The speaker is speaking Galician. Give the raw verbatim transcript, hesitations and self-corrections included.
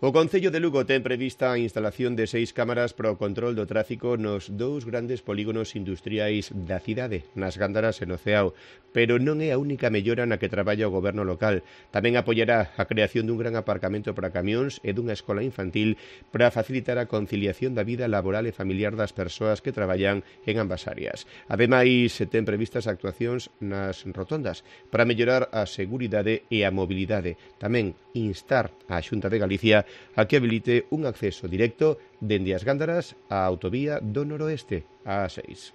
O Concello de Lugo ten prevista a instalación de seis cámaras para o control do tráfico nos dous grandes polígonos industriais da cidade, nas Gándaras e no Ceao, pero non é a única mellora na que traballa o goberno local. Tamén apoiará a creación dun gran aparcamento para camións e dunha escola infantil para facilitar a conciliación da vida laboral e familiar das persoas que traballan en ambas áreas. Ademais, se ten previstas actuacións nas rotondas para mellorar a seguridade e a mobilidade. Tamén instar a Xunta de Galicia a que habilite un acceso directo dende as Gándaras á autovía do noroeste, a A seis.